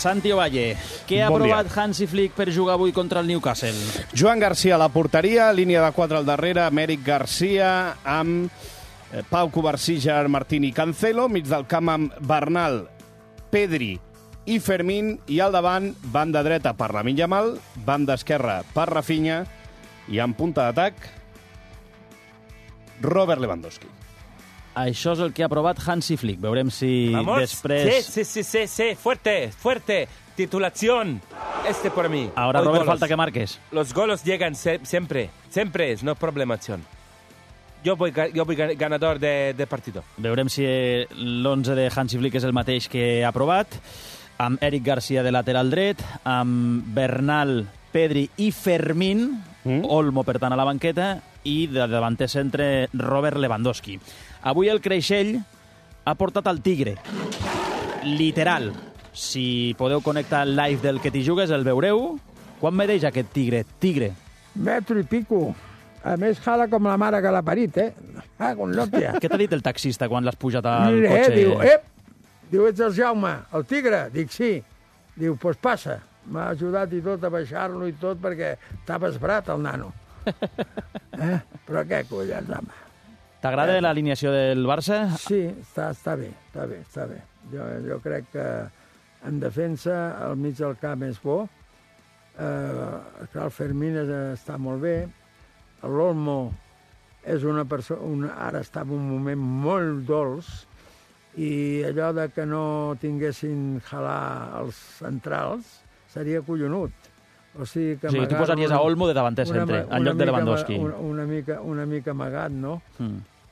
Santi Ovalle, què ha aprovat Hansi Flick per jugar avui contra el Newcastle? Joan Garcia a la porteria, línia de 4 al darrere, Amèric Garcia amb Pau Covarsí, Gerard Martín i Cancelo, mig del camp amb Bernal, Pedri i Fermín, i al davant, banda dreta per Lamine Yamal, banda esquerra per Rafinha, i en punta d'atac, Robert Lewandowski. Això és el que ha aprovat Hansi Flick. Veurem si després... Sí, fuerte. Titulación. Por mí. Ahora, Hoy Robert, golos. falta que marques. Los golos llegan siempre. Siempre es, no problemación. Yo voy ganador de partido. Veurem si l'11 de Hansi Flick és el mateix que ha aprovat, amb Eric Garcia de lateral dret, amb Bernal, Pedri i Fermín, Olmo, per tant, a la banqueta, i de davanter centre Robert Lewandowski. Avui el Creixell ha portat el Tigre. Literal. Si podeu connectar el live del que t'hi jugues, el veureu. Quan medeix aquest Tigre? Tigre. Metro i pico. A més, jala com la mare que l'ha parit, con l'òptia. Què t'ha dit el taxista quan l'has pujat al cotxe? Diu, ets el Jaume, el Tigre? Dic, sí. Diu, pues passa. M'ha ajudat i tot a baixar-lo i tot perquè estava esbrat, el nano. Però què collons, home? T'agrada l'alineació del Barça? Sí, està bé. Jo crec que en defensa el mig del camp és bo. El Fermín està molt bé. L'Olmo és una persona... Ara està en un moment molt dolç i allò de que no tinguessin jalar els centrals seria collonut. O sigui que tu posaries a Olmo de davanter centre, en lloc de Lewandowski. Una mica amagat, no?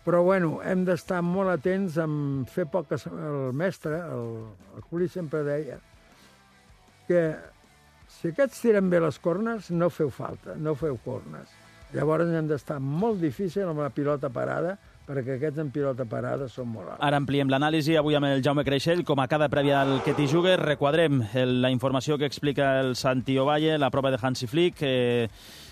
Però, bueno, hem d'estar molt atents en fer poques... El mestre, el Juli, sempre deia que si aquests tiren bé les cornes, no feu falta, no feu cornes. Llavors hem d'estar molt difícil amb la pilota parada, perquè aquests en pilota parada són molt alts. Ara ampliem l'anàlisi avui amb el Jaume Creixell. Com a cada prèvia al que t'hi jugues, requadrem la informació que explica el Santi Ovalle, la prova de Hansi Flick.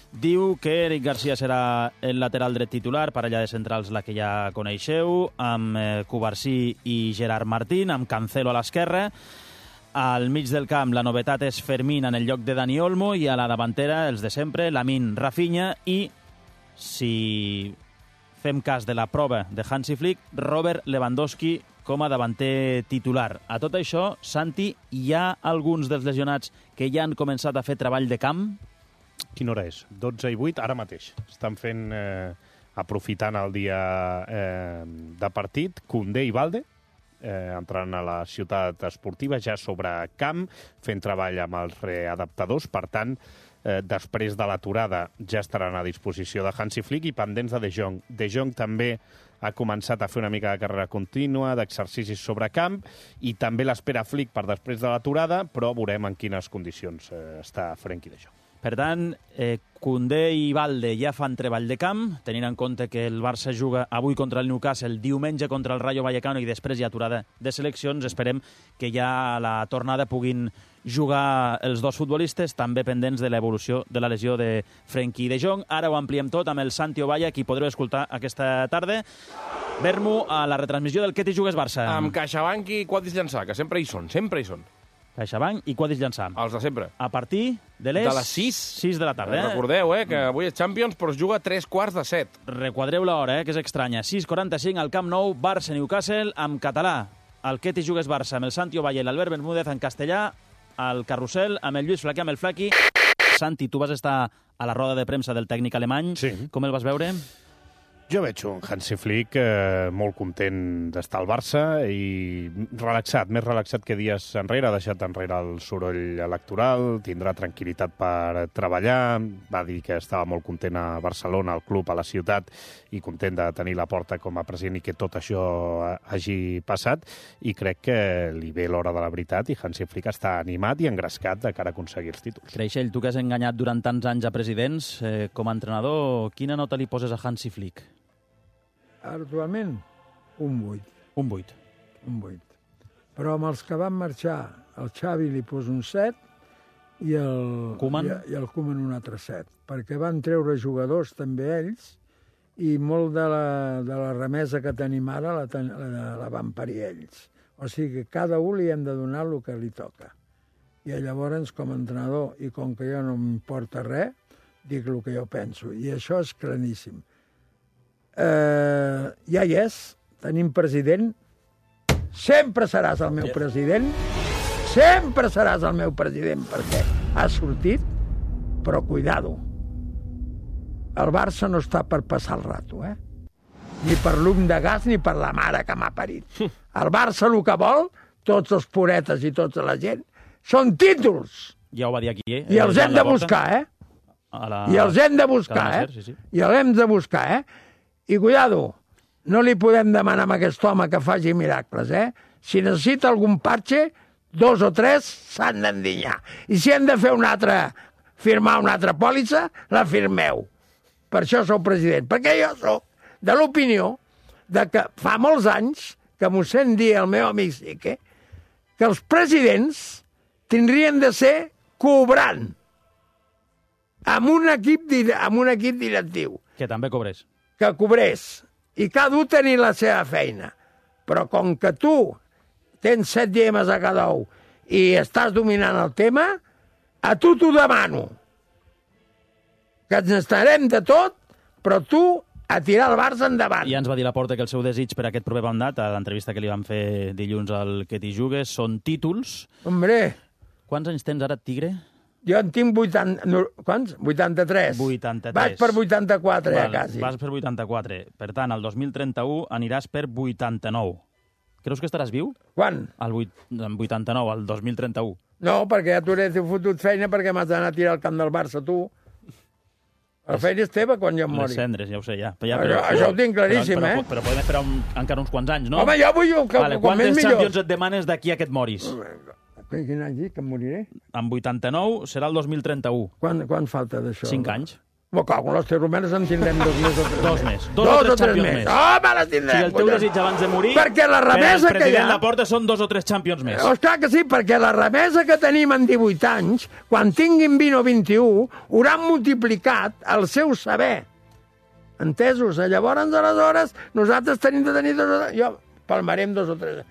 Diu que Eric Garcia serà el lateral dret titular, parella de centrals la que ja coneixeu, amb Covarsí i Gerard Martín, amb Cancelo a l'esquerra. Al mig del camp la novetat és Fermín en el lloc de Dani Olmo, i a la davantera els de sempre, Lamine, Rafinha i, si fem cas de la prova de Hansi Flick, Robert Lewandowski com a davanter titular. A tot això, Santi, hi ha alguns dels lesionats que ja han començat a fer treball de camp? Quina hora és? 12 i 8, ara mateix. Estan fent, aprofitant el dia de partit, Koundé i Balde, entrant a la ciutat esportiva, ja sobre camp, fent treball amb els readaptadors. Per tant, després de l'aturada ja estaran a disposició de Hansi Flick i pendents de De Jong. De Jong també ha començat a fer una mica de carrera contínua, d'exercicis sobre camp, i també l'espera Flick per després de l'aturada, però veurem en quines condicions està Frenkie de Jong. Per tant, Koundé i Balde ja fan treball de camp, tenint en compte que el Barça juga avui contra el Newcastle, diumenge contra el Rayo Vallecano i després hi ha aturada de seleccions. Esperem que ja a la tornada puguin jugar els dos futbolistes, també pendents de l'evolució de la lesió de Frenkie de Jong. Ara ho ampliem tot amb el Santi Ovalle, qui podreu escoltar aquesta tarda. Ver-m'ho a la retransmissió del Que t'hi jugues Barça. Amb CaixaBank i Quadris Llançà, que sempre hi són. CaixaBank i Quadris Llançà. Els de sempre. A partir de les 6 de la tarda. Recordeu, que avui és Champions, però es juga a 3:45. Requadreu l'hora, que és estranya. 6:45 al Camp Nou, Barça-Newcastle, en català. El Que t'hi jugues Barça, amb el Santi Ovalle i l'Albert Bermúdez, en castellà, al Carrusel, amb el Lluís Flaquer, amb el Flaqui. Santi, tu vas estar a la roda de premsa del tècnic alemany. Sí. Com el vas veure? Jo veig un Hansi Flick molt content d'estar al Barça i relaxat, més relaxat que dies enrere. Ha deixat enrere el soroll electoral, tindrà tranquil·litat per treballar. Va dir que estava molt content a Barcelona, al club, a la ciutat, i content de tenir la Porta com a president i que tot això hagi passat. I crec que li ve l'hora de la veritat i Hansi Flick està animat i engrescat de cara a aconseguir els títols. Creixell, tu que has enganyat durant tants anys a presidents, com a entrenador, quina nota li poses a Hansi Flick? Actualment, un 8. Un 8. Un 8. Però amb els que van marxar, el Xavi li posa un 7 i el Koeman un altre 7, perquè van treure jugadors també ells i molt de la remesa que tenim ara la van parir ells. O sigui que cada un li hem de donar el que li toca. I llavors, com a entrenador, i com que jo no m'importa res, dic el que jo penso. I això és claríssim. Ja hi és, tenim president, sempre seràs el meu president, sempre seràs el meu president, perquè has sortit, però cuidado. El Barça no està per passar el rato, Ni per l'um de gas ni per la mare que m'ha parit. El Barça el que vol, tots els puretes i tota la gent, són títols. Ja ho va dir aquí, I els hem de buscar, I els hem de buscar, I els hem de buscar, I cuidado, no li podem demanar a aquest home que faci miracles, Si necessita algun parche, 2 o 3 s'han d'endinyar. I si hem de fer firmar una altra pòlissa, la firmeu. Per això sou president. Perquè jo soc de l'opinió que fa molts anys que m'ho sent dir el meu amic Sique, que els presidents tindrien de ser cobrant amb un equip directiu. Que també cobrés. Que cobrés. I cada un tenir la seva feina. Però com que tu tens 7 llemes a cada ou i estàs dominant el tema, a tu t'ho demano. Que ens estarem de tot, però tu a tirar el Barça endavant. I ja ens va dir Laporta que el seu desig per aquest proper mandat, a l'entrevista que li van fer dilluns al Que t'hi jugues, són títols. Hombre. Quants anys tens ara, Tigre? Jo en tinc 83. 83. Vaig per 84, quasi. Vas per 84. Per tant, el 2031 aniràs per 89. Creus que estaràs viu? Quan? El 89, el 2031. No, perquè ja t'hauré fotut feina perquè m'has d'anar a tirar al camp del Barça, tu. La feina és teva quan jo em mori. Les cendres, ja ho sé, ja. Això ho tinc claríssim, Però podem esperar encara uns quants anys, no? Home, jo vull que vale, com més millor. Quantes Champions et demanes d'aquí a que et moris? Quin any dic que em moriré? En 89 serà el 2031. Quan falta d'això? 5 anys. Cago, les terumenes en tindrem 2 més o 3 2 més. 2 o 3 Champions més. Home, les tindrem. O sigui, el teu desig abans de morir... Perquè la remesa que hi ha... Per al president Laporta són 2 o 3 Champions més. Clar que sí, perquè la remesa que tenim en 18 anys, quan tinguin 20 o 21, hauran multiplicat el seu saber. Entesos? Llavors, aleshores, nosaltres tenim de tenir 2 o 3... Jo palmarem 2 o 3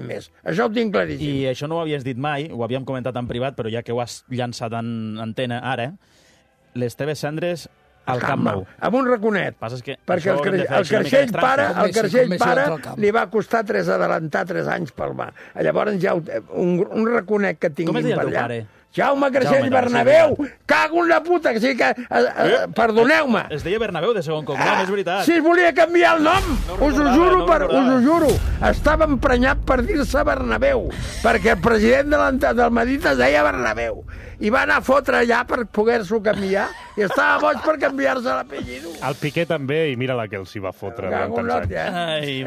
més. Això ho tinc claríssim. I això no ho havies dit mai, ho havíem comentat en privat, però ja que ho has llançat en antena ara, les teves cendres al Camp Nou. Amb un raconet. Perquè el Creixell pare li va costar adelantar 3 anys pel mar. Llavors ja un raconet que tinguin per allà. Com es deia el teu pare? Jaume Creixell Bernabéu! Cago en la puta! Que sí que... Perdoneu-me. Es deia Bernabéu de segon cognom, és veritat. Si es volia canviar el nom! Us ho juro. Estava emprenyat per dir-se Bernabéu, perquè el president del Madrid es deia Bernabéu. I va anar a fotre allà per poder-s'ho canviar i estava boig per canviar-se l'apellido. El Piqué també, i mira la que els hi va fotre durant tants anys.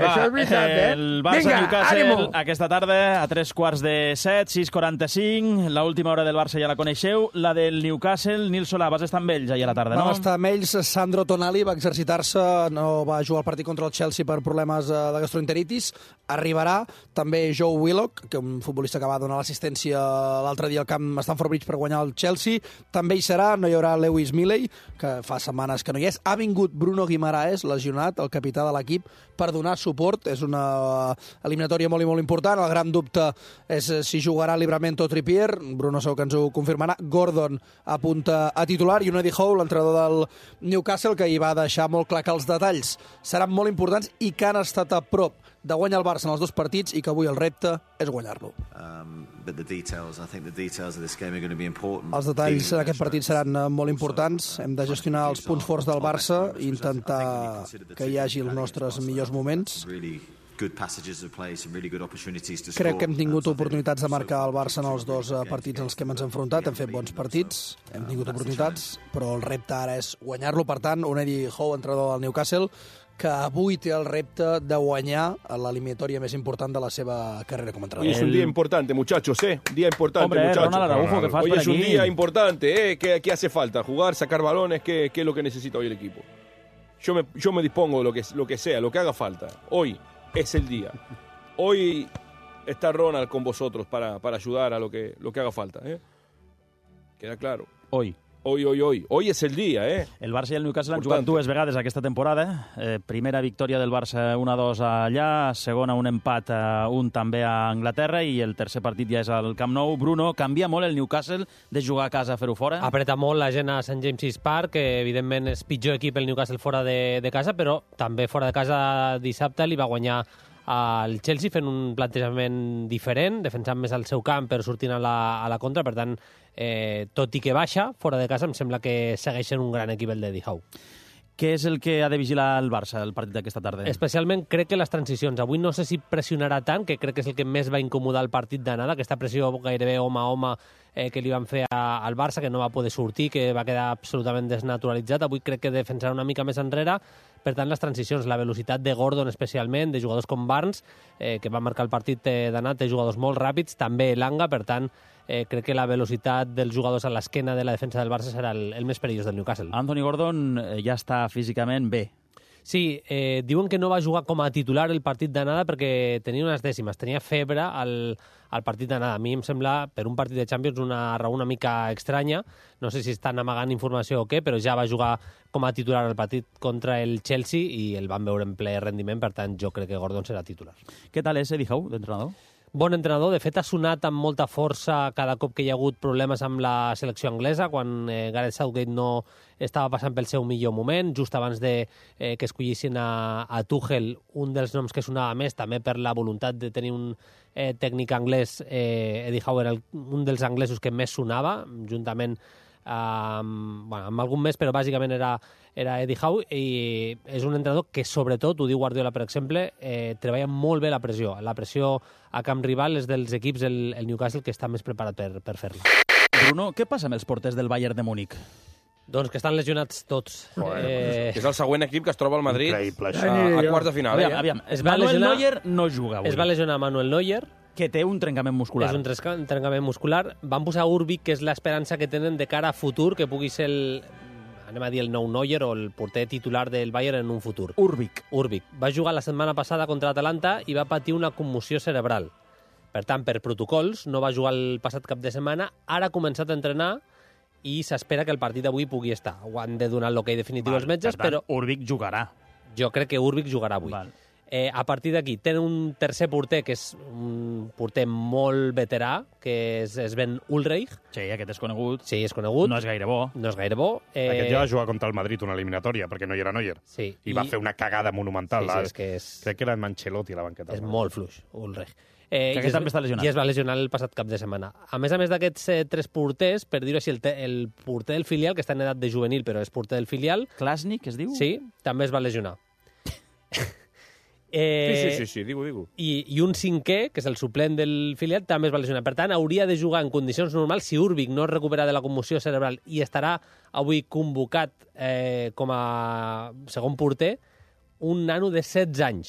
Això és veritat, El Barça-Newcastle aquesta tarda a 3:45, 6:45. L'última hora del Barça ja la coneixeu. La del Newcastle, Nil Solà, vas estar amb ells ahir a la tarda, no? Vam estar amb ells. Sandro Tonali va exercitar-se, no va jugar el partit contra el Chelsea per problemes de gastroenteritis. Arribarà també Joe Willock, que un futbolista que va donar l'assistència l'altre dia al camp Stamford Bridge per guanyar el Chelsea. També hi serà, no hi haurà Lewis Milley, que fa setmanes que no hi és. Ha vingut Bruno Guimaraes, lesionat, el capità de l'equip, per donar suport. És una eliminatòria molt i molt important. El gran dubte és si jugarà Livramento o Trippier. Bruno segur que ens ho confirmarà. Gordon apunta a titular i un Eddie Howe, l'entrenador del Newcastle, que hi va deixar molt clar que els detalls seran molt importants i que han estat a prop de guanyar el Barça en els 2 partits i que avui el repte és guanyar-lo. Els detalls en aquest partit seran molt importants. Hem de gestionar els punts forts del Barça i intentar que hi hagi els nostres millors moments. Crec que hem tingut oportunitats de marcar el Barça en els 2 partits en els que hem enfrontat. Hem fet bons partits, hem tingut oportunitats, però el repte ara és guanyar-lo. Per tant, un Eddie Howe, entrenador del Newcastle, que avui té el repte de guanyar l'eliminatòria més important de la seva carrera com a entrenador. Hoy es un día importante, muchachos, Un día importante, hombre, muchachos. Ronald Araujo, que fas hoy per es aquí. un día importante, ¿Qué hace falta? Jugar, sacar balones, ¿qué es lo que necesita hoy el equipo? Yo me dispongo de lo que sea, lo que haga falta. Hoy es el día. Hoy está Ronald con vosotros para ayudar a lo que haga falta, Queda claro. Hoy. Hoy es el día, El Barça i el Newcastle han Importante. jugat 2 vegades aquesta temporada. Primera victòria del Barça 1-2 allà, segona un empat, un també a Anglaterra, i el tercer partit ja és al Camp Nou. Bruno, canvia molt el Newcastle de jugar a casa a fer-ho fora? Apreta molt la gent a St. James's Park, que evidentment és pitjor equip el Newcastle fora de casa, però també fora de casa dissabte li va guanyar al Chelsea fent un plantejament diferent, defensant més al seu camp però sortint a la contra. Per tant, tot i que baixa fora de casa, em sembla que segueix sent un gran equip el d'Eddie Howe. Què és el que ha de vigilar el Barça, el partit d'aquesta tarda? Especialment crec que les transicions. Avui no sé si pressionarà tant, que crec que és el que més va incomodar el partit d'anada, aquesta pressió gairebé home a home que li van fer al Barça, que no va poder sortir, que va quedar absolutament desnaturalitzat. Avui crec que defensarà una mica més enrere. Per tant, les transicions, la velocitat de Gordon especialment, de jugadors com Barnes, que va marcar el partit d'anat, de jugadors molt ràpids, també Elanga. Per tant, crec que la velocitat dels jugadors a l'esquena de la defensa del Barça serà el més perillós del Newcastle. Anthony Gordon ja està físicament bé. Sí, diuen que no va jugar com a titular el partit d'anada perquè tenia unes dècimes, tenia febre al partit d'anada. A mi em sembla, per un partit de Champions, una raó una mica estranya. No sé si estan amagant informació o què, però ja va jugar com a titular el partit contra el Chelsea i el van veure en ple rendiment. Per tant, jo crec que Gordon serà titular. Què tal és Eddie Howe, d'entrenador? Bon entrenador, de fet ha sonat amb molta força cada cop que hi ha hagut problemes amb la selecció anglesa, quan Gareth Southgate no estava passant pel seu millor moment, just abans de que escollissin a Tuchel. Un dels noms que sonava més, també per la voluntat de tenir un tècnic anglès, Eddie Howe era un dels anglesos que més sonava, juntament amb algun més, però bàsicament era Eddie Howe, i és un entrenador que sobretot, ho diu Guardiola per exemple, treballa molt bé la pressió. La pressió a camp rival és dels equips, el Newcastle, que està més preparat per fer-la. Bruno, què passa amb els porters del Bayern de Múnich? Doncs que estan lesionats tots. És el següent equip que es troba al Madrid Increïble, a quarts de final. Aviam, Es va Manuel lesionar- Neuer no juga avui, Es va lesionar Manuel Neuer, que té un trencament muscular. és un trencament muscular. Van posar Urbic, que és l'esperança que tenen de cara a futur, que pugui ser anem a dir el nou Neuer o el porter titular del Bayern en un futur. Urbic. Urbic. Va jugar la setmana passada contra l'Atalanta i va patir una commoció cerebral. Per tant, per protocols, no va jugar el passat cap de setmana. Ara ha començat a entrenar i s'espera que el partit d'avui pugui estar. Ho han de donar l'ok definitiu als metges, per tant, però Urbic jugarà. jo crec que Urbic jugarà avui. Val. A partir d'aquí, tenen un tercer porter, que és un porter molt veterà, que és Sven Ulreich. Sí, aquest és conegut. Sí, és conegut. No és gaire bo. No és gaire bo. Aquest ja va jugar contra el Madrid una eliminatòria, perquè no hi era Neuer. Sí. I va fer una cagada monumental. Sí, és que és... Crec que era en Ancelotti a la banqueta. És molt fluix, Ulreich. Que aquest també està lesionat. I es va lesionar el passat cap de setmana. A més d'aquests tres porters, per dir-ho així, el porter del filial, que està en edat de juvenil, però és porter del filial, Klasnik, es diu? sí, també es va lesionar. Sí, digo. I un cinquè, que és el suplent del filial, també es va lesionar. Per tant, hauria de jugar en condicions normals si Urbic no es recupera de la commoció cerebral i estarà avui convocat com a segon porter un nano de 16 anys.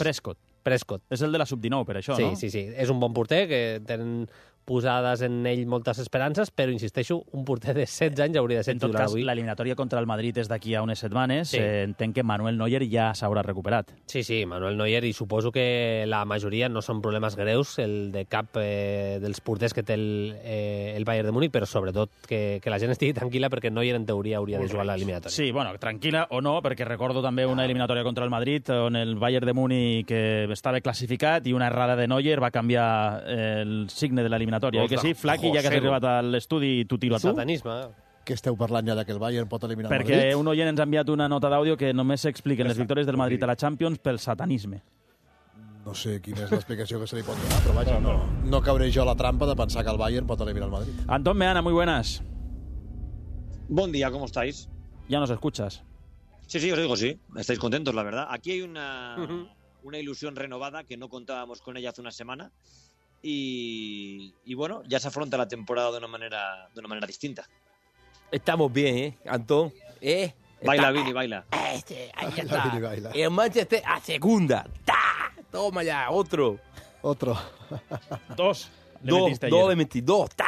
Prescott. És el de la sub-19, per això, Sí, no? sí. És un bon porter, que tenen posades en ell moltes esperances, però, insisteixo, un porter de 16 anys hauria de ser En tot titular cas, avui. l'eliminatòria contra el Madrid és d'aquí a unes setmanes. Sí. Entenc que Manuel Neuer ja s'haurà recuperat. Sí, Manuel Neuer, i suposo que la majoria no són problemes greus, el de cap dels porters que té el Bayern de Múnich, però sobretot que la gent estigui tranquil·la, perquè Neuer en teoria hauria de jugar a l'eliminatòria. Sí, bueno, tranquil·la o no, perquè recordo també una eliminatòria contra el Madrid on el Bayern de Múnich estava classificat i una errada de Neuer va canviar el signe de l'eliminatòria. Oi que sí? Flaqui, ja que has arribat a l'estudi, tu tiro a tu. Satanisme. Que esteu parlant ja que el Bayern pot eliminar el Perquè Madrid? un oient ens ha enviat una nota d'àudio que només s'expliquen les victòries del Madrid a la Champions pel satanisme. No sé quina és l'explicació que se li pot donar, però vaja, no cauré jo a la trampa de pensar que el Bayern pot eliminar el Madrid. Antón Meana, muy buenas. Buen día, ¿cómo estáis? Ya nos escuchas. Sí, os digo sí. Estáis contentos, la verdad. Aquí hay una ilusión renovada que no contábamos con ella hace una semana y bueno, ya se afronta la temporada de una manera distinta. Estamos bien, Antón. Baila, Vini, baila. Ahí Baila, está. Vini, baila. El Manchester a segunda. ¡Ta! Toma ya, otro. Otro. Dos. Dos de 22. ¡Ta!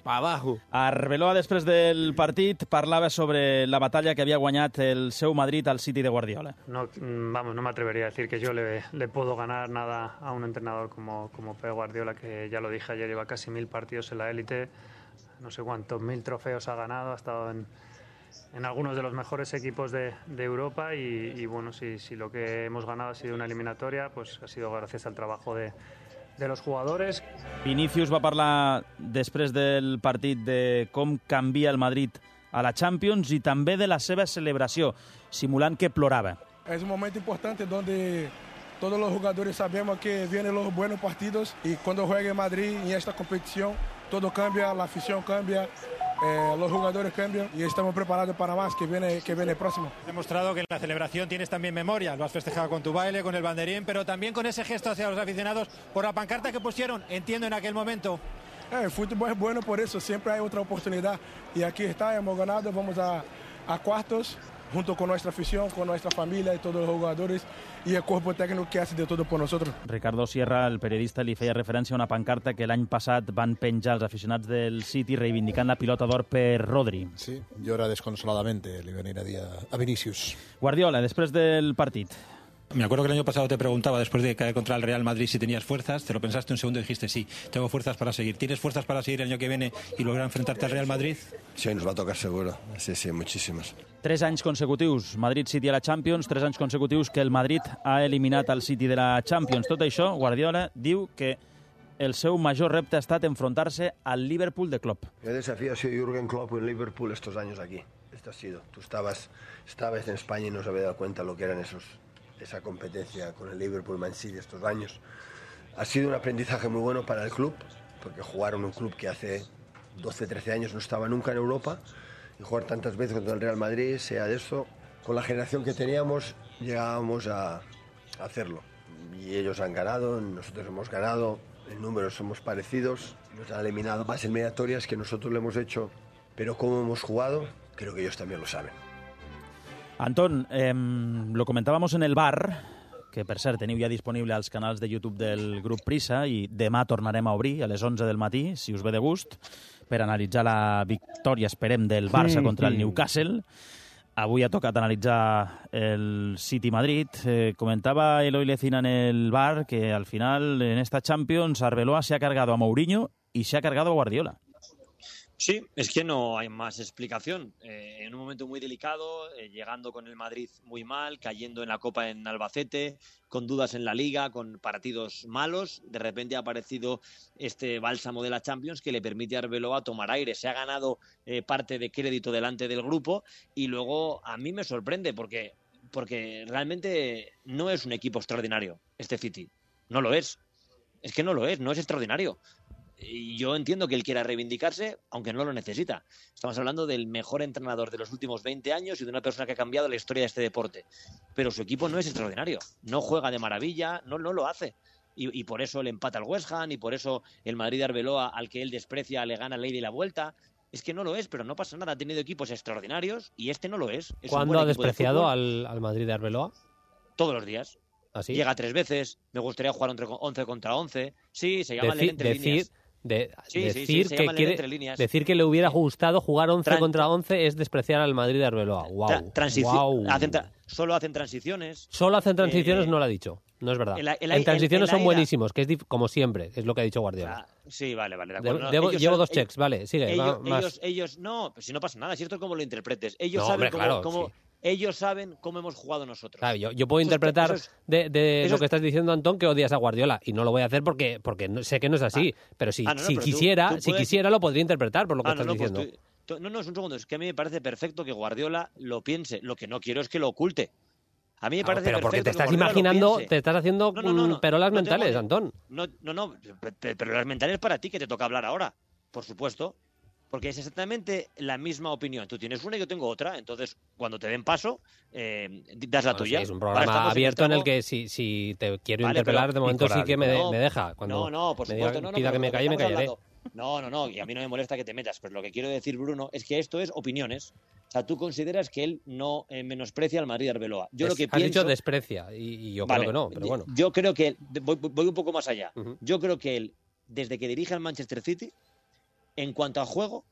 Para abajo. Arbeloa, després del partit, parlava sobre la batalla que havia guanyat el seu Madrid al City de Guardiola. No me atrevería a decir que yo le puedo ganar nada a un entrenador como Pep Guardiola, que ya lo dije ayer, lleva casi 1000 partidos en la élite, no sé cuántos 1000 trofeos ha ganado, ha estado en algunos de los mejores equipos de Europa y bueno, si lo que hemos ganado ha sido una eliminatoria, pues ha sido gracias al trabajo de los jugadores. Vinicius va parlar després del partit de com canvia el Madrid a la Champions y també de la seva celebració, simulant que plorava. Es un momento importante donde todos los jugadores sabemos que vienen los buenos partidos y cuando juegue Madrid en esta competición todo cambia, la afición cambia, los jugadores cambian y estamos preparados para más que viene próximo. Has demostrado que en la celebración tienes también memoria, lo has festejado con tu baile, con el banderín, pero también con ese gesto hacia los aficionados por la pancarta que pusieron, entiendo, en aquel momento. El fútbol es bueno por eso, siempre hay otra oportunidad y aquí está, hemos ganado, vamos a cuartos junto con nuestra afición, con nuestra familia y todos los jugadores y el cuerpo técnico que hace de todo por nosotros. Ricardo Sierra, el periodista, li feia referència a una pancarta que l'any passat van penjar els aficionats del City reivindicant la pilota d'or per Rodri. Sí, llora desconsoladamente, le venir a dir a Vinicius. Guardiola, després del partit. Me acuerdo que el año pasado te preguntaba, después de caer contra el Real Madrid, si tenías fuerzas. Te lo pensaste un segundo y dijiste, sí, tengo fuerzas para seguir. ¿Tienes fuerzas para seguir el año que viene y lograr enfrentarte al Real Madrid? Sí, nos va a tocar seguro. Sí, muchísimas. 3 anys consecutius, Madrid-City a la Champions, 3 anys consecutius que el Madrid ha eliminat al City de la Champions. Tot això, Guardiola diu que el seu major repte ha estat enfrontar-se al Liverpool de Klopp. El desafío ha sido Jürgen Klopp en Liverpool estos años aquí. Esto ha sido. Tú estabas en España y no se había dado cuenta lo que eran esa competencia con el Liverpool Man City estos años. Ha sido un aprendizaje muy bueno para el club, porque jugar en un club que hace 12, 13 años no estaba nunca en Europa y jugar tantas veces contra el Real Madrid, sea de eso, con la generación que teníamos llegábamos a hacerlo. Y ellos han ganado, nosotros hemos ganado, en números somos parecidos, nos han eliminado más eliminatorias que nosotros lo hemos hecho, pero cómo hemos jugado, creo que ellos también lo saben. Antón, lo comentábamos en el bar, que per cert teniu ja disponible als canals de YouTube del grup Prisa i demà tornarem a obrir a les 11 del matí, si us ve de gust, per analitzar la victòria, esperem, del Barça contra el Newcastle. Avui ha tocat analitzar el City-Madrid. Comentaba Eloy Lecina en el bar que al final en esta Champions Arbeloa se ha cargado a Mourinho y se ha cargado a Guardiola. Sí, es que no hay más explicación. En un momento muy delicado, llegando con el Madrid muy mal, cayendo en la Copa en Albacete, con dudas en la Liga, con partidos malos, de repente ha aparecido este bálsamo de la Champions que le permite a Arbeloa tomar aire. Se ha ganado parte de crédito delante del grupo y luego a mí me sorprende porque realmente no es un equipo extraordinario este City. No lo es. Es que no lo es, no es extraordinario. Y yo entiendo que él quiera reivindicarse, aunque no lo necesita. Estamos hablando del mejor entrenador de los últimos 20 años y de una persona que ha cambiado la historia de este deporte. Pero su equipo no es extraordinario. No juega de maravilla, no lo hace. Y por eso le empata al West Ham y por eso el Madrid de Arbeloa, al que él desprecia, le gana la ida y la vuelta. Es que no lo es, pero no pasa nada. Ha tenido equipos extraordinarios y este no lo es. ¿Cuándo ha despreciado al Madrid de Arbeloa? Todos los días. ¿Así? Llega 3 veces. Me gustaría jugar 11 contra 11. Sí, se llama entre líneas. Decir que le hubiera gustado jugar 11 contra 11 es despreciar al Madrid de Arbeloa. Wow. Solo hacen transiciones. Solo hacen transiciones, no lo ha dicho. No es verdad. En transiciones son buenísimos, que es como siempre, es lo que ha dicho Guardiola. Sí, vale, de acuerdo. Llevo 2 checks, vale, sigue. Ellos no, pues si no pasa nada, si esto es como lo interpretes. Ellos saben cómo hemos jugado nosotros. Claro, yo puedo interpretar de lo que estás diciendo, Antón, que odias a Guardiola, y no lo voy a hacer porque sé que no es así, pero si quisiera lo podría interpretar por lo que estás diciendo. Es un segundo, es que a mí me parece perfecto que Guardiola lo piense, lo que no quiero es que lo oculte. A mí me parece pero porque perfecto te estás imaginando, te estás haciendo perolas mentales, Antón. No, perolas mentales para ti, que te toca hablar ahora, por supuesto. Porque es exactamente la misma opinión. Tú tienes una y yo tengo otra. Entonces, cuando te den paso, das la tuya. Sí, es un programa abierto en el que si te quiero interpelar, de momento sí que me deja. Cuando por supuesto. pida que me calle, me callaré. No, y a mí no me molesta que te metas. Pero lo que quiero decir, Bruno, es que esto es opiniones. O sea, tú consideras que él no menosprecia al Madrid de Arbeloa. Has dicho desprecia, y yo creo que no, pero bueno. Yo creo que voy un poco más allá. Yo creo que él, desde que dirige al Manchester City, en cuanto a juego,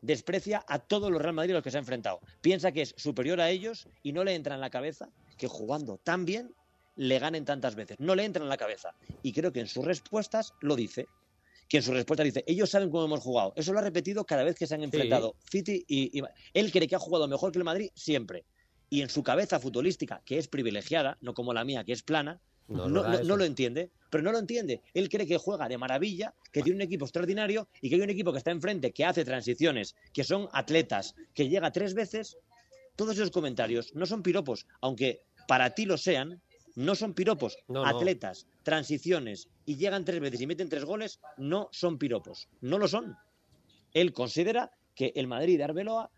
desprecia a todos los Real Madrid a los que se ha enfrentado. Piensa que es superior a ellos y no le entra en la cabeza que jugando tan bien le ganen tantas veces. No le entra en la cabeza. Y creo que en sus respuestas lo dice. que en su respuesta dice, ellos saben cómo hemos jugado. Eso lo ha repetido cada vez que se han enfrentado City y él cree que ha jugado mejor que el Madrid siempre. Y en su cabeza futbolística, que es privilegiada, no como la mía, que es plana, no lo entiende. Pero no lo entiende. Él cree que juega de maravilla, que tiene un equipo extraordinario y que hay un equipo que está enfrente, que hace transiciones, que son atletas, que llega 3 veces. Todos esos comentarios no son piropos, aunque para ti lo sean, no son piropos. Atletas, transiciones y llegan 3 veces y meten 3 goles, no son piropos. No lo son. Él considera que el Madrid de Arbeloa,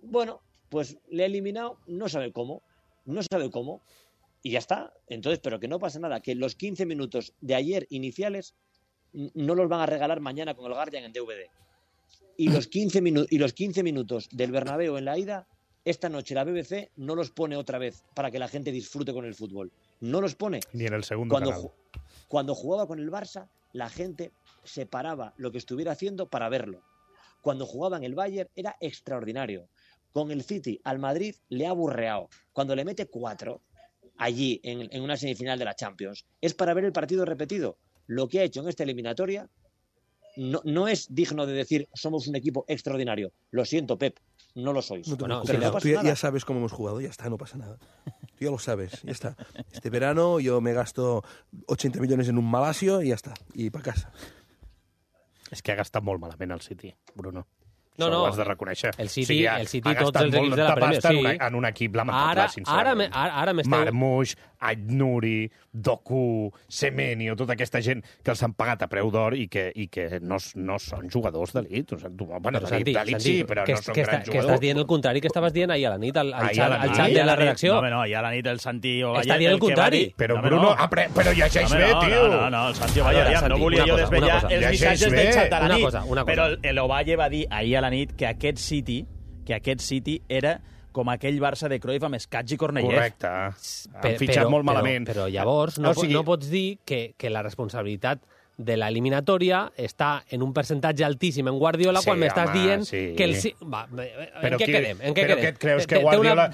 bueno, pues le ha eliminado, no sabe cómo, y ya está. Entonces, pero que no pasa nada, que los 15 minutos de ayer iniciales no los van a regalar mañana con el Guardian en DVD. Y los 15 minutos del Bernabéu en la ida, esta noche la BBC no los pone otra vez para que la gente disfrute con el fútbol. No los pone. Ni en el segundo canal. Cuando jugaba con el Barça, la gente se paraba lo que estuviera haciendo para verlo. Cuando jugaba en el Bayern era extraordinario. Con el City al Madrid le ha aburreado. Cuando le mete 4 allí en una semifinal de la Champions, es para ver el partido repetido. Lo que ha hecho en esta eliminatoria no es digno de decir somos un equipo extraordinario. Lo siento, Pep, no lo sois. Tú ya sabes cómo hemos jugado, ya está, no pasa nada. Tú ya lo sabes, ya está. Este verano yo me gasto 80 millones en un Malasio y ya está, y para casa. És que ha gastat molt malament el City, Bruno. No, Això ho has de reconèixer. El City tots els equips de la Premier, sí. En un equip lamentable, sincerament. Ara m'esteu... Marmoush, Aït-Nouri, Doku, Semenyo, tota aquesta gent que els han pagat a preu d'or i que no són jugadors d'elit. Bueno, d'elit sí, però no són grans jugadors. Que estàs dient el contrari que estaves dient ahir a la nit al xat de la redacció. No, ahir a la nit el Santi Ovalle... Està dient el contrari. Però, Bruno, però llegeix bé, tio. No, el Santi Ovalle, no volia jo desvetllar els missatges del xat de la nit, però l'Ovalle va dir ahir a la nit que aquest City era com aquell Barça de Cruyff amb Escatx i Cornellà. Correcte. Han fitxat molt malament. Però llavors no pots dir que la responsabilitat de l'eliminatòria està en un percentatge altíssim en Guardiola quan m'estàs dient que el... En què quedem? Però què et creus que Guardiola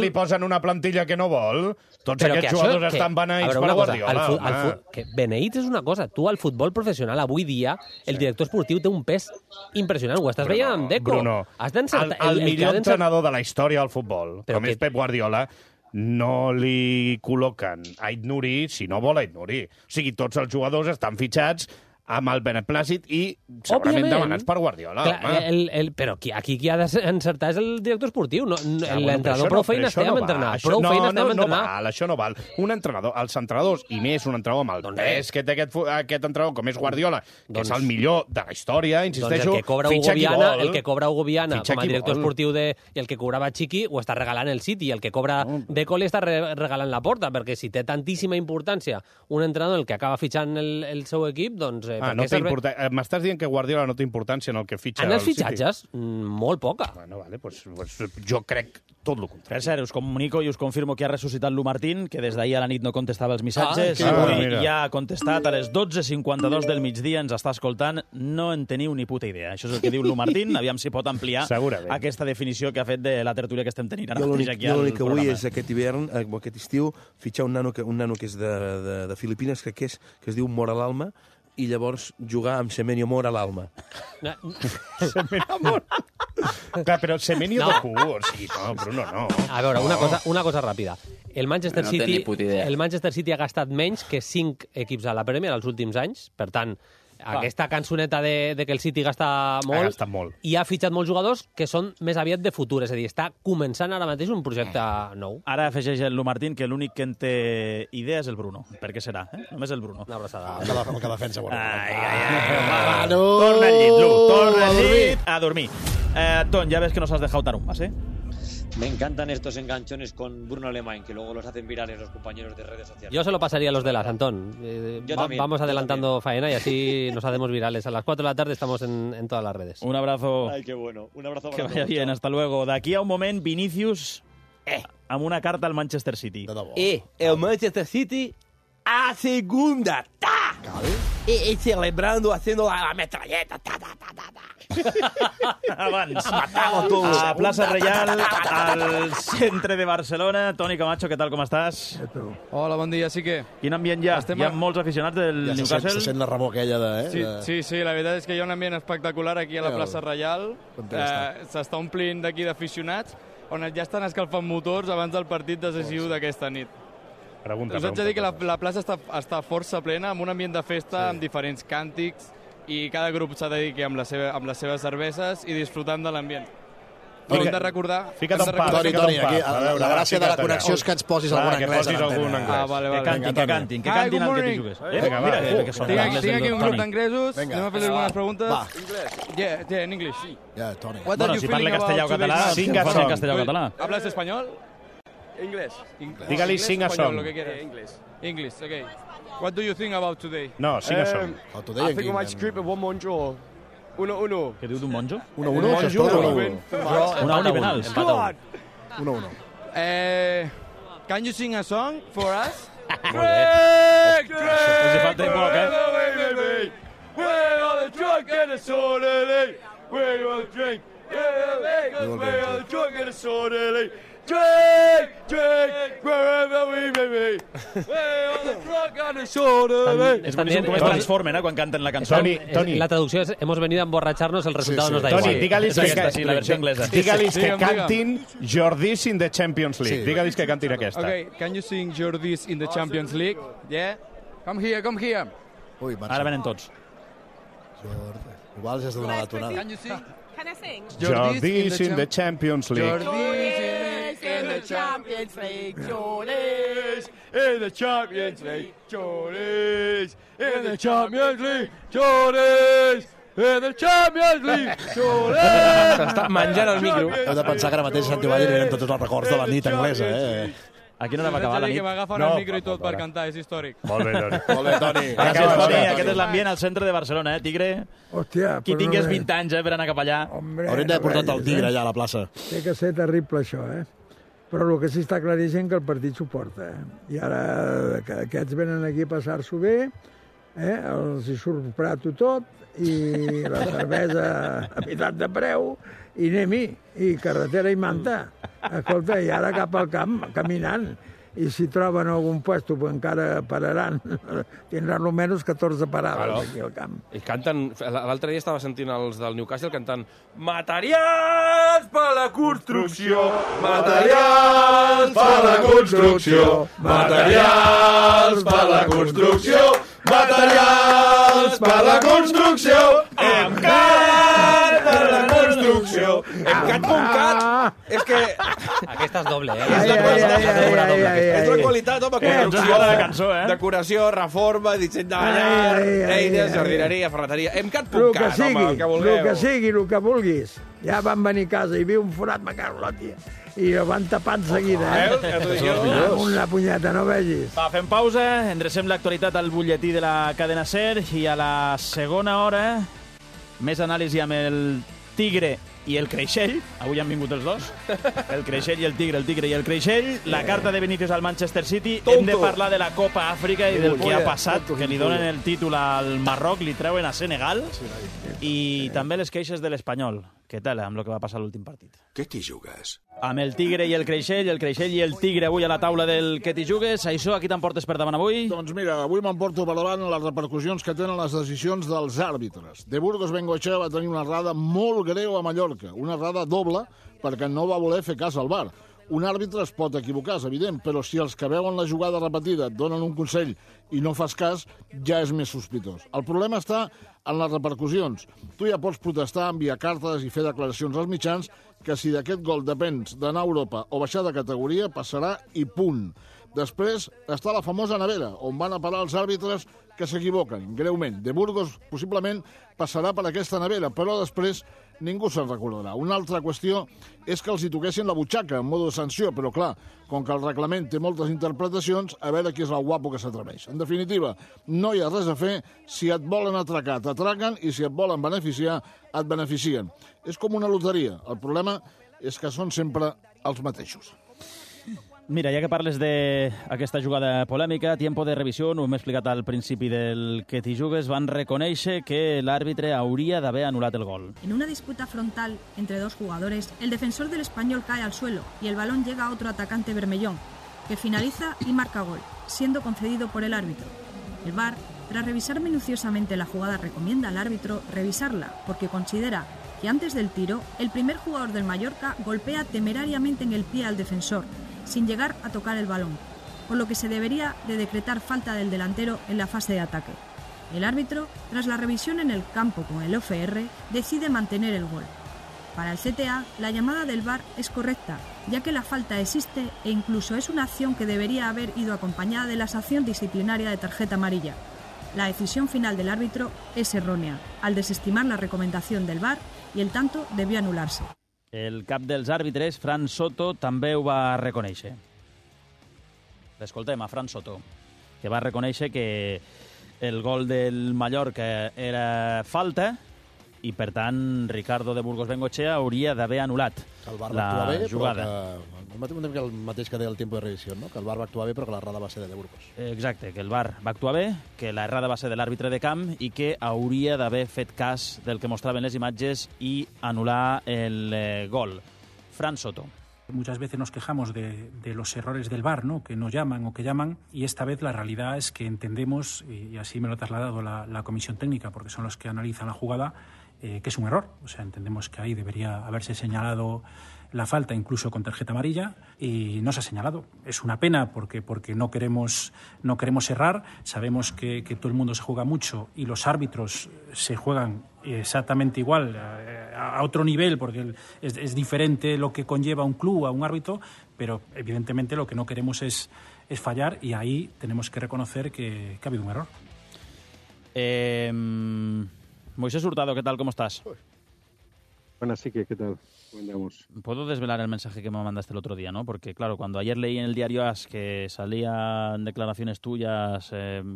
li posen una plantilla que no vol? Tots aquests jugadors estan beneïts per Guardiola. Beneïts és una cosa. Tu, al futbol professional, avui dia, el director esportiu té un pes impressionant. Ho estàs veient amb Deco. Bruno, el millor entrenador de la història del futbol, com és Pep Guardiola, no li col·loquen Aït-Nouri si no vol Aït-Nouri. O sigui, tots els jugadors estan fitxats amb el beneplàcit i segurament demanats per Guardiola. Però aquí qui ha d'encertar és el director esportiu. L'entrenador prou feina estem a entrenar. Això no val. Un entrenador, els entrenadors, i més un entrenador amb el pes que té aquest entrenador, com és Guardiola, que és el millor de la història, insisteixo, fitxa qui vol. El que cobra Hugo Viana com a director esportiu i el que cobrava Chiqui ho està regalant el City, i el que cobra Deco li està regalant la Porta, perquè si té tantíssima importància un entrenador el que acaba fitxant el seu equip, doncs... M'estàs dient que Guardiola no té importància en el que fitxa en els fitxatges? Molt poca. Bueno, vale, pues jo crec tot el contrari. Per cert, us comunico i us confirmo que ha ressuscitat Lu Martín, que des d'ahir a la nit no contestava els missatges. Avui ja ha contestat a les 12:52 del migdia, ens està escoltant. No en teniu ni puta idea. Això és el que diu Lu Martín. Aviam si pot ampliar aquesta definició que ha fet de la tertúlia que estem tenint ara mateix aquí al programa. L'únic que vull és aquest hivern, aquest estiu, fitxar un nano que és de Filipines, que es diu Mor a l'Alma, i llavors jugar amb Semenyo Mor a l'Alma. Semenyo Mor? Clar, però Semenyo de cul, o sigui, no, Bruno, no. A veure, una cosa ràpida. El Manchester City ha gastat menys que 5 equips a la Premier els últims anys, per tant, aquesta cançoneta de que el City gasta molt, i ha fitxat molts jugadors que són més aviat de futur, és a dir, està començant ara mateix un projecte nou. Ara afegeix el Lu Martín que l'únic que en té idea és el Bruno. Per què serà? Només el Bruno. Una abraçada. El que defensa. Torna al llit, Lu. Torna al llit a dormir. Ton, ya ves que nos has dejado tarumbas, ¿eh? Me encantan estos enganchones con Bruno Alemán, que luego los hacen virales los compañeros de redes sociales. Yo se lo pasaría a los de las, Antón. Vamos adelantando faena y así nos hacemos virales. A las 4 de la tarde estamos en todas las redes. Un abrazo. Ay, qué bueno. Un abrazo para todos. Que vaya bien, hasta luego. D'aquí a un moment, Vinicius amb una carta al Manchester City. El Manchester City a segunda. ¡Ta! Y celebrando, haciendo la metralleta. ¡Ta, ta, ta, ta, ta! Abans, a Plaça Reial, al centre de Barcelona. Toni Camacho, què tal, com estàs? Hola, bon dia, sí que... Quin ambient hi ha? Hi ha molts aficionats del Newcastle? Se sent la remor aquella de... Sí, la veritat és que hi ha un ambient espectacular aquí a la plaça Reial. S'està omplint d'aquí d'aficionats, on ja estan escalfant motors abans del partit decisiu d'aquesta nit. Us haig de dir que la plaça està força plena, amb un ambient de festa, amb diferents càntics, i cada grup s'ha de dir que amb les seves cerveses i disfrutant de l'ambient. Però hem de recordar... Fica't un pa. Toni, aquí, la gràcia de la connexió és que ens posis alguna anglesa. Vale. Que cantin el que t'hi jugues. Tinc aquí un grup d'anglesos, anem a fer-li algunes preguntes. Yeah, en English. Toni. Bueno, si parla castellà o català, fas en castellà o català. ¿Hablas español? Inglés. Dígale sing a song. Lo que quieras. English, okay. What do you think about today? No, sing a song. I think we might script a 1-1 draw. 1-1. Què diu d'un monjo? 1-1, això és tot. Una penal. 1-1. Can you sing a song for us? Drake! Els hi falta poc, eh? Where are the drunk and the sorely? Where are the drink? Where are the drunk and the sorely? Drake, wherever we may be. Where are the drunk and the sorely? És boníssim com es transformen, quan canten la cançó. Toni. La traducció és hemos venido a emborracharnos, el resultado nos da igual. Toni, dígales la versió anglesa. Dígales que cantin Jordis in the Champions League. Dígales que cantin aquesta. Okay, can you sing Jordis in the Champions League? Yeah? Come here. Ara venen tots. Igual ja has de donar la tonada. Can you sing? Can I sing? Jordis in the Champions League. Jordis in the Champions League. Jordis in the Champions League. Jordis in the Champions League. Jordis in the Champions League. Jordis. S'està menjant el micro. Heu de pensar que ara mateix a Sant Ivalle venen tots els records de la nit anglesa, A quina hora va acabar la nit? Que m'agafen el micro i tot per cantar, és històric. Molt bé, Toni. Gràcies, Toni. Aquest és l'ambient al centre de Barcelona, Tigre? Hòstia, qui tingués 20 anys per anar cap allà. Haurem d'haver portat el Tigre allà a la plaça. Té que ser terrible, això, Però el que sí està claríssim que el partit s'ho porta, I ara que aquests venen aquí a passar-s'ho bé, els hi surt prato tot, i la cervesa a meitat de preu, i anem-hi, i carretera i manta. Escolta, i ara cap al camp, caminant. I si troben algun puesto, pues encara pararan. Tindran almenys 14 parades aquí al camp. I canten... L'altre dia estava sentint els del Newcastle cantant Materials per la construcció, materials per la construcció, materials per la construcció, materials per la construcció, MCAT per la construcció, MCAT.cat. És que... Aquesta és doble, És la qualitat, home, construcció, de decoració, reforma, disseny de ballar, eines, jardineria, ferreteria, MCAT.cat, home, el que vulgueu. El que vulguis. Ja van venir a casa i viu un forat, me cago la tia. I el van tapar en seguida, Una punyeta, no vegis. Va, fem pausa, endrecem l'actualitat al butlletí de la cadena SER i a la segona hora més anàlisi amb el Tigre i el Creixell. Avui han vingut els dos. El Creixell i el Tigre i el Creixell. La carta de Vinícius al Manchester City. Hem de parlar de la Copa Àfrica i del que ha passat, que li donen el títol al Marroc, li treuen a Senegal. I també les queixes de l'Espanyol. Què tal amb el que va passar a l'últim partit? Què t'hi jugues? Amb el Tigre i el Creixell i el Tigre avui a la taula del Què t'hi jugues. Això, aquí t'emportes per davant avui? Doncs mira, avui m'emporto per davant les repercussions que tenen les decisions dels àrbitres. De Burgos Bengoechea va tenir una errada molt greu a Mallorca, una errada doble perquè no va voler fer cas al VAR. Un àrbitre es pot equivocar, és evident, però si els que veuen la jugada repetida et donen un consell i no fas cas, ja és més sospitós. El problema està en les repercussions. Tu ja pots protestar, enviar cartes i fer declaracions als mitjans que si d'aquest gol depens d'anar a Europa o baixar de categoria, passarà i punt. Després està la famosa nevera, on van a parar els àrbitres que s'equivoquen, greument. De Burgos possiblement passarà per aquesta nevera, però després ningú se'n recordarà. Una altra qüestió és que els hi toquessin la butxaca en modo de sanció, però clar, com que el reglament té moltes interpretacions, a veure qui és el guapo que s'atreveix. En definitiva, no hi ha res a fer. Si et volen atracar, t'atraquen, i si et volen beneficiar, et beneficien. És com una loteria. El problema és que són sempre els mateixos. Mira, ja que parles d'aquesta jugada polèmica, tiempo de revisió, ho hem explicat al principi del Que t'hi jugues, van reconèixer que l'àrbitre hauria d'haver anul·lat el gol. En una disputa frontal entre dos jugadores, el defensor del Español cae al suelo y el balón llega a otro atacante bermellón, que finaliza y marca gol, siendo concedido por el árbitro. El VAR, tras revisar minuciosamente la jugada, recomienda al árbitro revisarla, porque considera que antes del tiro, el primer jugador del Mallorca golpea temerariamente en el pie al defensor, sin llegar a tocar el balón, por lo que se debería de decretar falta del delantero en la fase de ataque. El árbitro, tras la revisión en el campo con el OFR, decide mantener el gol. Para el CTA, la llamada del VAR es correcta, ya que la falta existe e incluso es una acción que debería haber ido acompañada de la sanción disciplinaria de tarjeta amarilla. La decisión final del árbitro es errónea, al desestimar la recomendación del VAR, y el tanto debió anularse. El cap dels àrbitres, Fran Soto, també ho va reconèixer. L'escoltem, a Fran Soto, que va reconèixer que el gol del Mallorca era falta i, per tant, Ricardo de Burgos Bengoechea hauria d'haver anul·lat la jugada. El mateix que deia el tiempo de revisión, no? Que el VAR va actuar bé però que l'errada va ser de Burgos. Exacte, que el VAR va actuar bé, que l'errada va ser de l'àrbitre de camp i que hauria d'haver fet cas del que mostraven les imatges i anul·lar el gol. Fran Soto. Muchas veces nos quejamos de los errores del VAR, ¿no? Que no llaman o que llaman, y esta vez la realidad es que entendemos, y así me lo ha trasladado la comisión técnica, porque son los que analizan la jugada, que es un error. O sea, entendemos que ahí debería haberse señalado la falta, incluso con tarjeta amarilla, y no se ha señalado. Es una pena porque no queremos errar. Sabemos que todo el mundo se juega mucho y los árbitros se juegan exactamente igual, a otro nivel, porque es diferente lo que conlleva un club a un árbitro, pero evidentemente lo que no queremos es fallar, y ahí tenemos que reconocer que ha habido un error. Moisés Hurtado, ¿qué tal? ¿Cómo estás? Buenas, sí, ¿qué tal? ¿Cómo andamos? Puedo desvelar el mensaje que me mandaste el otro día, ¿no? Porque, claro, cuando ayer leí en el diario AS que salían declaraciones tuyas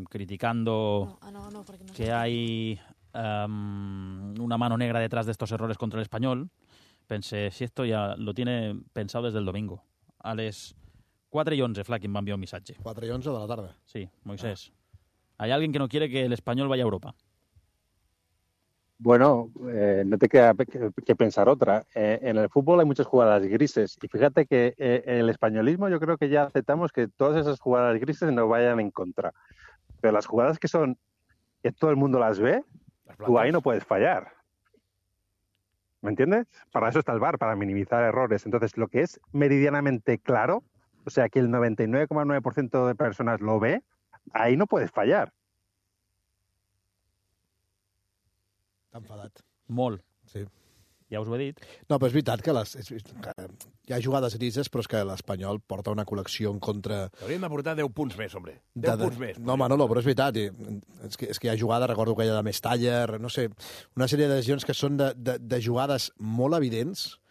criticando que hay una mano negra detrás de estos errores contra el Español, pensé, si esto ya lo tiene pensado desde el domingo. A les 4:11, Flaquín va enviar un missatge. 4:11 de la tarde. Sí, Moisés. Hay alguien que no quiere que el Español vaya a Europa. Bueno, no te queda que pensar otra. En el fútbol hay muchas jugadas grises y fíjate que el españolismo yo creo que ya aceptamos que todas esas jugadas grises nos vayan en contra. Pero las jugadas que todo el mundo las ve, tú ahí no puedes fallar. ¿Me entiendes? Para eso está el VAR, para minimizar errores. Entonces, lo que es meridianamente claro, o sea, que el 99,9% de personas lo ve, ahí no puedes fallar. T'ha enfadat. Molt. Sí. Ja us ho he dit. No, però és veritat que hi ha jugades grises, però és que l'Espanyol porta una col·lecció en contra... Hauríem de portar 10 punts més, hombre. 10 punts més. No, Manolo, però és veritat. És que hi ha jugades, recordo que hi ha de Mestaller, no sé, una sèrie de decisions que són de jugades molt evidents,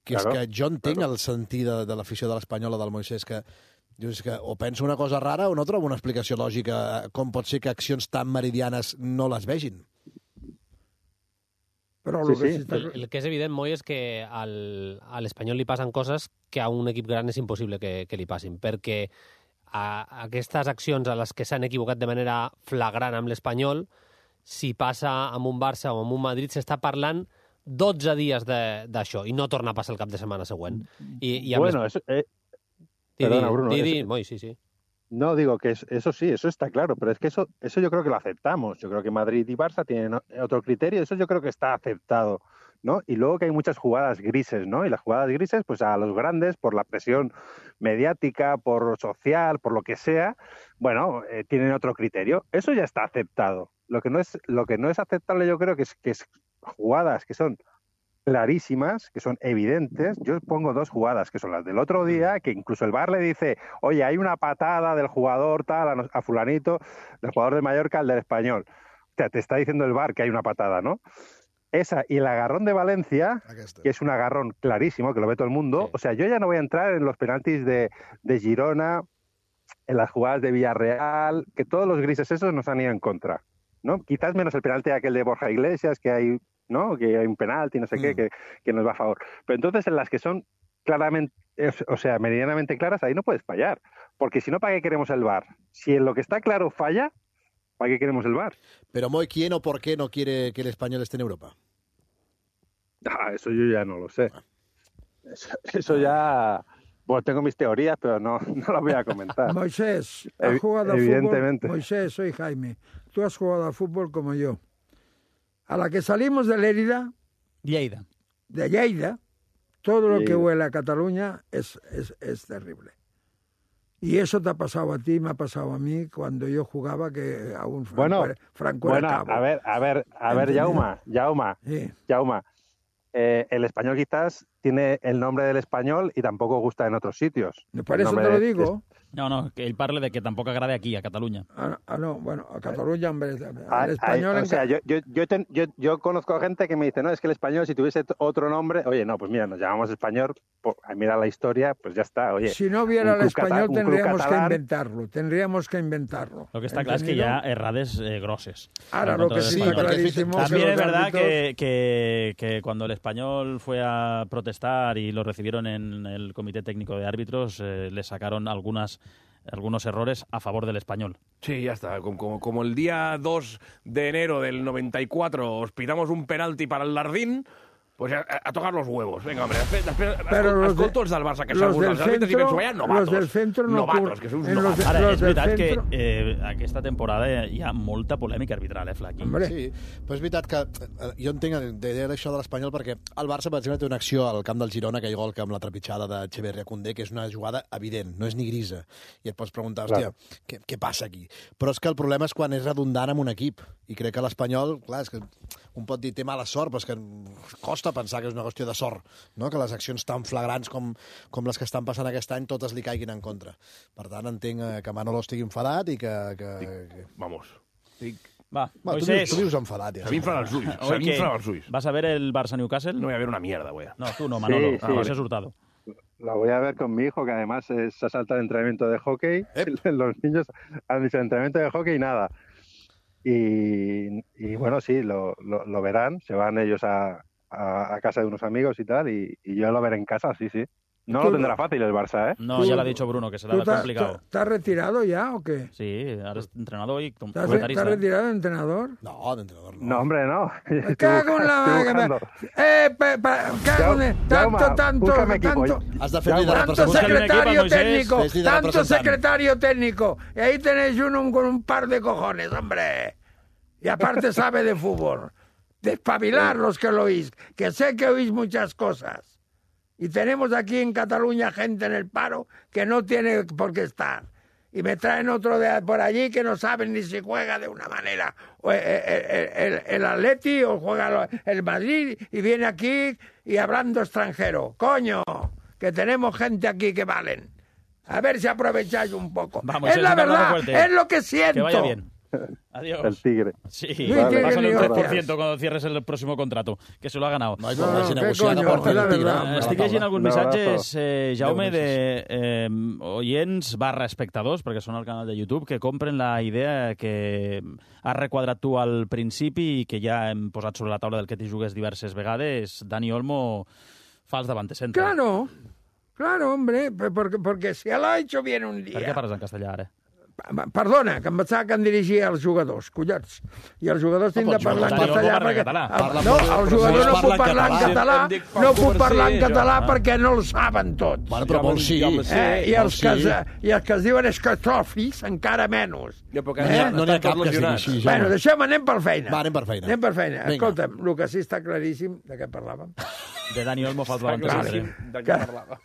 que és que jo entenc el sentit de l'afició de l'Espanyol o del Moisés, que dius que o penso una cosa rara o no trobo una explicació lògica com pot ser que accions tan meridianes no les vegin. Però el que és evident, Moi, és que a l'Espanyol li passen coses que a un equip gran és impossible que li passin, perquè aquestes accions a les que s'han equivocat de manera flagrant amb l'Espanyol, si passa amb un Barça o amb un Madrid, s'està parlant 12 dies d'això i no torna a passar el cap de setmana següent. Bueno, eso... Perdona, Bruno. Moi, sí. No, digo que eso sí, eso está claro, pero es que eso yo creo que lo aceptamos. Yo creo que Madrid y Barça tienen otro criterio, eso yo creo que está aceptado, ¿no? Y luego que hay muchas jugadas grises, ¿no? Y las jugadas grises, pues a los grandes, por la presión mediática, por social, por lo que sea, bueno, tienen otro criterio. Eso ya está aceptado. Lo que no es aceptable, yo creo que es jugadas que son clarísimas, que son evidentes. Yo pongo dos jugadas, que son las del otro día, que incluso el VAR le dice, oye, hay una patada del jugador tal a fulanito, del jugador del Mallorca al del Español. O sea, te está diciendo el VAR que hay una patada, ¿no? Esa y el agarrón de Valencia, que es un agarrón clarísimo, que lo ve todo el mundo. O sea, yo ya no voy a entrar en los penaltis de Girona, en las jugadas de Villarreal, que todos los grises esos nos han ido en contra, ¿no? Quizás menos el penalti aquel de Borja Iglesias, que hay, ¿no? Que hay un penalti, no sé qué, que nos va a favor. Pero entonces en las que son claramente, o sea, meridianamente claras, ahí no puedes fallar. Porque si no, ¿para qué queremos el VAR? Si en lo que está claro falla, ¿para qué queremos el VAR? Pero, Moy, ¿quién o por qué no quiere que el español esté en Europa? Eso yo ya no lo sé. Eso ya... Bueno, tengo mis teorías, pero no las voy a comentar. Moisés, ¿has jugado al evidentemente. fútbol? Moisés, soy Jaime. Tú has jugado al fútbol como yo. A la que salimos de Lérida, de Lleida, todo lo que huele a Cataluña es terrible. Y eso te ha pasado a ti, me ha pasado a mí cuando yo jugaba, que aún Franco era cabo. A ver, Jaume. Sí. Jaume. El español quizás tiene el nombre del español i tampoc gusta en otros sitios. Por eso te lo digo. No, que ell parla de que tampoc agrada aquí, a Catalunya. No, bueno, a Catalunya, hombre, el español... O sea, yo conozco gente que me dice, no, es que el español, si tuviese otro nombre, oye, no, pues mira, nos llamamos español, mira la historia, pues ya está, oye. Si no hubiera el español tendríamos que inventarlo. Lo que está claro es que hi ha errades grosses. Ahora, lo que sí está clarísimo... También es verdad que cuando el español fue a protestar y lo recibieron en el Comité Técnico de Árbitros, le sacaron algunos errores a favor del español. Sí, ya está. Como el día 2 de enero del 94 os pidamos un penalti para el Lardín, pues a tocar los huevos. Venga, hombre, escolto els del Barça, que s'alguns dels àrbitres i penso, vaya novatos. Los del centro no novatos, que són novatos. Ara, és veritat que aquesta temporada hi ha molta polèmica arbitral, Flaqui. Sí, però és veritat que jo entenc això de l'Espanyol perquè el Barça, per exemple, té una acció al camp del Girona, aquell gol que amb la trepitjada de Echeverri a Koundé, que és una jugada evident, no és ni grisa. I et pots preguntar, hòstia, què passa aquí? Però és que el problema és quan és redundant amb un equip. I crec que l'Espanyol, clar, és que un pot dir té mala sort, però és que costa pensar que és una qüestió de sort, no? Que les accions tan flagrants com les que estan passant aquest any totes li caiguin en contra. Per tant, entenc que Manolo estigui enfadat i que... Vamos. Va, Moisés. Tu vius enfadat, ja. Se m'inflen els ulls. ¿Vas a ver el Barça-Newcastle? No voy a ver una mierda, güey. No, tú no, Manolo. Sí. José Hurtado. La voy a ver con mi hijo, que además se salta el entrenamiento de hockey. Los niños han dicho entrenamiento de hockey y nada. Y bueno, sí, lo verán. Se van ellos a casa de unos amigos y tal, y yo lo veré en casa, sí. No lo tendrá fácil el Barça, ¿eh? No, ya lo ha dicho Bruno, que será complicado. ¿Estás retirado ya o qué? Sí, ahora es entrenador y comentarista. ¿Estás retirado de entrenador? No, de entrenador no. No, hombre, no. Me cago en la... Tanto secretario técnico, tanto secretario técnico. Y ahí tenéis uno con un par de cojones, hombre. Y aparte sabe de fútbol. Despabilar los que lo oís, que sé que oís muchas cosas. Y tenemos aquí en Cataluña gente en el paro que no tiene por qué estar. Y me traen otro de por allí que no saben ni si juega de una manera el Atleti o juega el Madrid y viene aquí y hablando extranjero. ¡Coño! Que tenemos gente aquí que valen. A ver si aprovecháis un poco. Vamos, es la verdad, es lo que siento. Que vaya bien. Adiós. El Tigre. Sí, pásale un 3% cuando cierres el próximo contrato, que se lo ha ganado. No, Estic llegint alguns missatges, Jaume, de oients / espectadors, perquè són al canal de YouTube, que compren la idea que has requadrat tu al principi i que ja hem posat sobre la taula del que t'hi jugues diverses vegades. Dani Olmo fa els davant de centre. Claro, hombre, porque si lo ha hecho bien un día. Per què parles en castellà, ara? Perdona, que em pensava que em dirigia als jugadors, collons. I els jugadors tinc de parlar en castellà perquè... No, el jugador no puc parlar en català, no puc parlar en català perquè no el saben tots. Bueno, però molts sí. I els que es diuen escatòfis, encara menys. No n'hi ha cap que sigui així. Bueno, deixem, anem per feina. Va, anem per feina. Escolta'm, el que sí està claríssim, de què parlàvem? De Dani Olmo fa el davant de centre. De què parlàvem?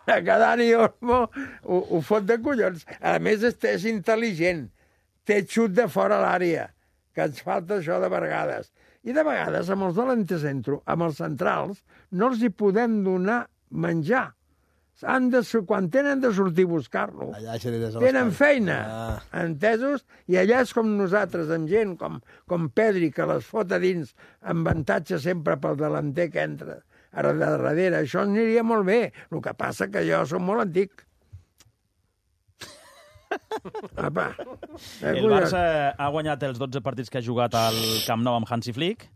Que Dani Olmo ho fot de collons. A més, és intel·ligent. Té xut de fora l'àrea, que ens falta això de vegades. I de vegades, amb els de l'antecentro, amb els centrals, no els hi podem donar menjar. Quan tenen de sortir a buscar-lo, tenen feina, entesos? I allà és com nosaltres, amb gent com Pedri, que les fot a dins, amb avantatge sempre pel delanter que entra. Ara de darrere, això aniria molt bé. El que passa que jo som molt antic. Apa. El Barça ha guanyat els 12 partits que ha jugat al Camp Nou amb Hansi Flick.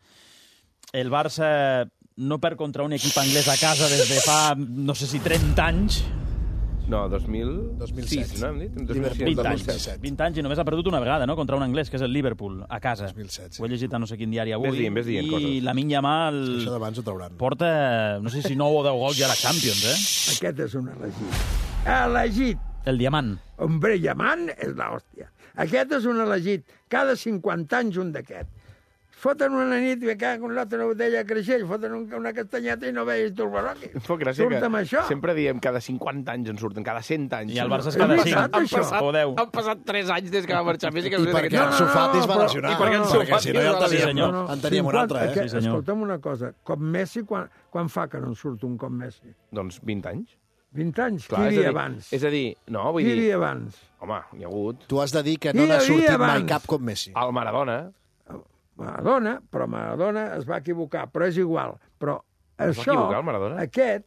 El Barça no perd contra un equip anglès a casa des de fa, no sé si 30 anys. No, 2006, no hem dit? 20 anys i només ha perdut una vegada, no?, contra un anglès, que és el Liverpool, a casa. 2007, Ho he llegit a no sé quin diari avui. Ves dient coses. I Lamine Yamal Això d'abans ho trauran. porta, no sé si 9 o 10 gols ja a la Champions, Aquest és un elegit. Elegit! El diamant. Hombre, diamant és l'hòstia. Aquest és un elegit. Cada 50 anys un d'aquest. Foten una nit i caen con l'altra botella de creixell, foten una castanyeta i no veus turbaroqui. Surt amb això. Sempre diem cada 50 anys en surten, cada 100 anys. I el Barça és cada 5 o 10. Han passat 3 anys des que va marxar Messi. I perquè Ansu Fati es va lesionar. Perquè si no ja en teníem un altre, eh? Escolta'm una cosa, com Messi, quan fa que no en surt un com Messi? Doncs 20 anys. 20 anys? Qui hi havia abans? És a dir, no, vull dir... Qui hi havia abans? Home, hi ha hagut... Tu has de dir que no n'ha sortit mai cap com Messi. El Maradona. Però Maradona es va equivocar, però és igual. Però això, va equivocar el Maradona? Aquest,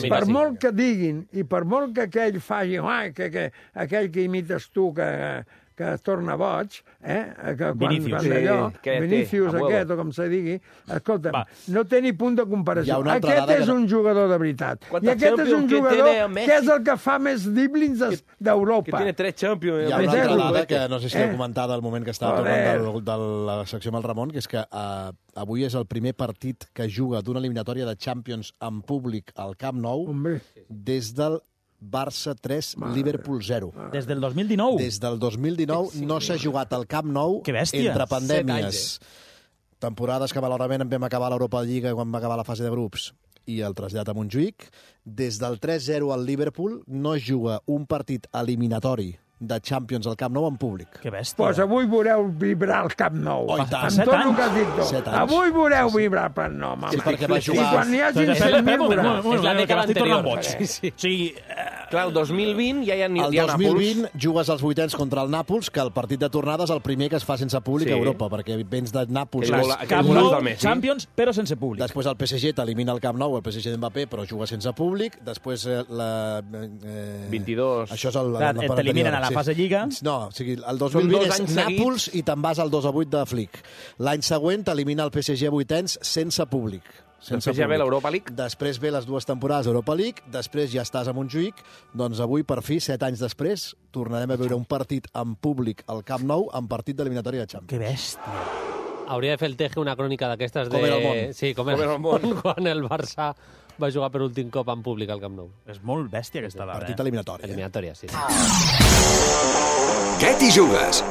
per molt que diguin i per molt que aquell faci, aquell que imites tu que es torna boig, que quan d'allò, Vinícius aquest, o com se digui, escolta'm, no té ni punt de comparació. Aquest és un jugador de veritat. I aquest és un jugador que és el que fa més driblings d'Europa. Que tiene 3 Champions. Hi ha una altra dada que no sé si heu comentat al moment que estava tornant de la secció amb el Ramon, que és que avui és el primer partit que juga d'una eliminatòria de Champions en públic al Camp Nou des del Barça 3, Liverpool 0. Des del 2019? Des del 2019 no s'ha jugat al Camp Nou entre pandèmies. Temporades que malauradament en vam acabar l'Europa Lliga quan va acabar la fase de grups i el trasllat a Montjuïc. Des del 3-0 al Liverpool no es juga un partit eliminatori de Champions al Camp Nou en públic. Que bèstia. Doncs avui veureu vibrar el Camp Nou. Oh, i tant. Amb tot el que has dit tu. Avui veureu vibrar el Camp Nou, home. Sí, perquè va jugar... I quan n'hi hagi 100.000 veurà. És la dècada anterior. Sí. Clar, el 2020 ja hi ha Nàpols. El 2020 jugues als vuitens contra el Nàpols, que el partit de tornada és el primer que es fa sense públic a Europa, perquè vens de Nàpols. Camp Nou, Champions, però sense públic. Després el PSG t'elimina el Camp Nou, el PSG d'Mbappé, però juga sense públic. Després la... 22. Això és el... T'eliminen a la fase Lliga. No, o sigui, el 2020 és Nàpols i te'n vas al 2-8 de Flick. L'any següent t'elimina el PSG a vuitens sense públic. Després ja ve l'Europa League. Després ve les 2 temporades d'Europa League, després ja estàs a Montjuïc, doncs avui, per fi, 7 anys després, tornarem a veure un partit en públic al Camp Nou en partit d'eliminatòria de Champions. Que bèstia. Hauria de fer el Teje una crònica d'aquestes de... Com era el món. Sí, com era el món. Quan el Barça va jugar per últim cop en públic al Camp Nou. És molt bèstia aquesta dada. Partit eliminatori. Eliminatòria, sí. Què t'hi jugues?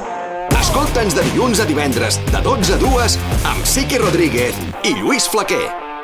Escolta'ns de dilluns a divendres, de 12 a 2, amb Sique Rodríguez i Lluís Flaquer.